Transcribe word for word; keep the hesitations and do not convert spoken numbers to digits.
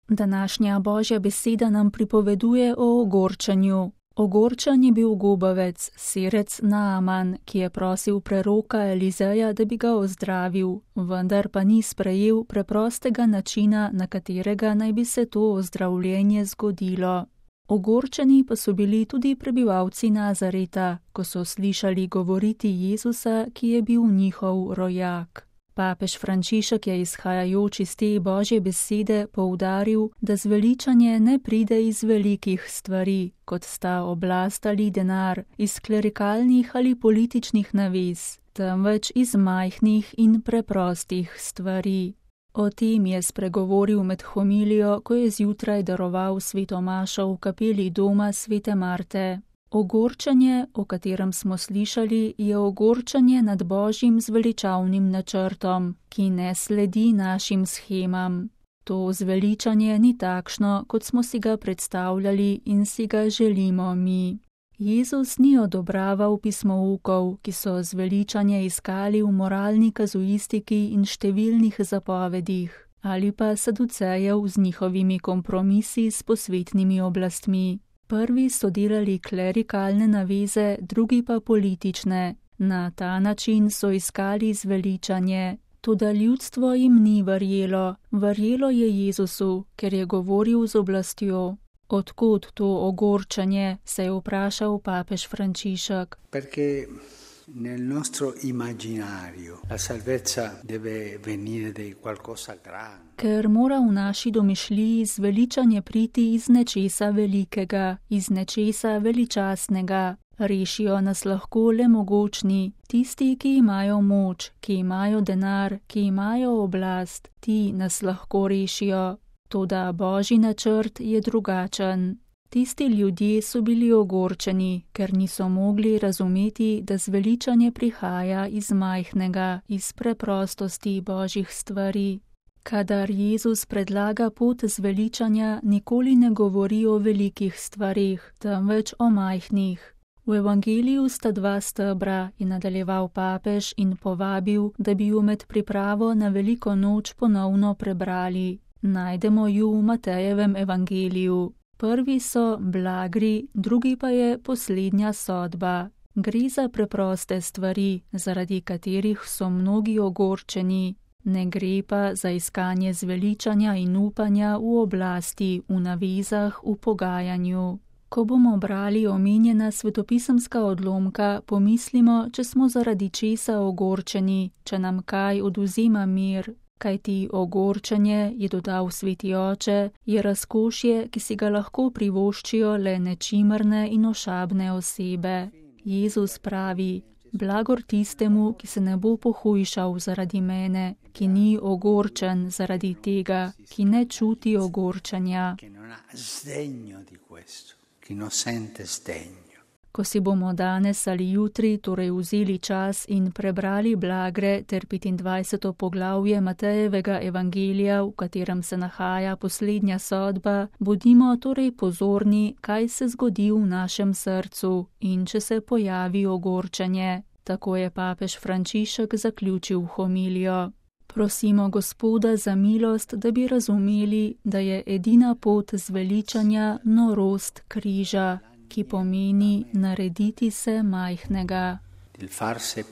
Današnja Božja beseda nam pripoveduje o ogorčenju. Ogorčen je bil gubavec, sirec Naaman, ki je prosil preroka Elizeja, da bi ga ozdravil, vendar pa ni sprejel preprostega načina, na katerega naj bi se to ozdravljenje zgodilo. Ogorčeni pa so bili tudi prebivalci Nazareta, ko so slišali govoriti Jezusa, ki je bil njihov rojak. Papež Frančišek je izhajajoč iz te Božje besede poudaril, da zveličanje ne pride iz velikih stvari, kot sta oblast ali denar, iz klerikalnih ali političnih navez, temveč iz majhnih in preprostih stvari. O tem je spregovoril med homilijo, ko je zjutraj daroval sveto mašo v kapeli doma svete Marte. Ogorčenje, o katerem smo slišali, je ogorčenje nad Božjim zveličavnim načrtom, ki ne sledi našim shemam. To zveličanje ni takšno, kot smo si ga predstavljali in si ga želimo mi. Jezus ni odobraval pismoukov, ki so zveličanje iskali v moralni kazuistiki in številnih zapovedih, ali pa saducejev z njihovimi kompromisi s posvetnimi oblastmi. Prvi so delali klerikalne naveze, drugi pa politične. Na ta način so iskali zveličanje. Toda ljudstvo jim ni verjelo. Verjelo je Jezusu, ker je govoril z oblastjo. Odkod to ogorčenje, se je vprašal papež Frančišek. Perché nel nostro immaginario la salvezza deve venire da qualcosa grande. Ker mora v naši domišljiji zveličanje priti iz nečesa velikega, iz nečesa veličastnega. Rešijo nas lahko le mogočni, tisti, ki imajo moč, ki imajo denar, ki imajo oblast, ti nas lahko rešijo. Toda Božji načrt je drugačen. Tisti ljudje so bili ogorčeni, ker niso mogli razumeti, da zveličanje prihaja iz majhnega, iz preprostosti Božjih stvari. Kadar Jezus predlaga pot zveličanja, nikoli ne govori o velikih stvarih, temveč o majhnih. V evangeliju sta dva stebra, je nadaljeval papež in povabil, da bi ju med pripravo na veliko noč ponovno prebrali. Najdemo ju v Matejevem evangeliju. Prvi so blagri, drugi pa je poslednja sodba. Gre za preproste stvari, zaradi katerih so mnogi ogorčeni. Ne gre pa za iskanje zveličanja in upanja v oblasti, v navezah, v pogajanju. Ko bomo brali omenjena svetopisemska odlomka, pomislimo, če smo zaradi česa ogorčeni, če nam kaj odvzema mir. Kajti ogorčenje, je dodal sveti oče, je razkošje, ki si ga lahko privoščijo le nečimrne in ošabne osebe. Jezus pravi, blagor tistemu, ki se ne bo pohujšal zaradi mene, ki ni ogorčen zaradi tega, ki ne čuti ogorčenja. Ko si bomo danes ali jutri torej vzeli čas in prebrali blagre ter petindvajseto poglavje Matejevega evangelija, v katerem se nahaja poslednja sodba, bodimo torej pozorni, kaj se zgodi v našem srcu in če se pojavi ogorčenje. Tako je papež Frančišek zaključil homilijo. Prosimo Gospoda za milost, da bi razumeli, da je edina pot zveličanja norost križa, ki pomeni narediti se majhnega. Il farsi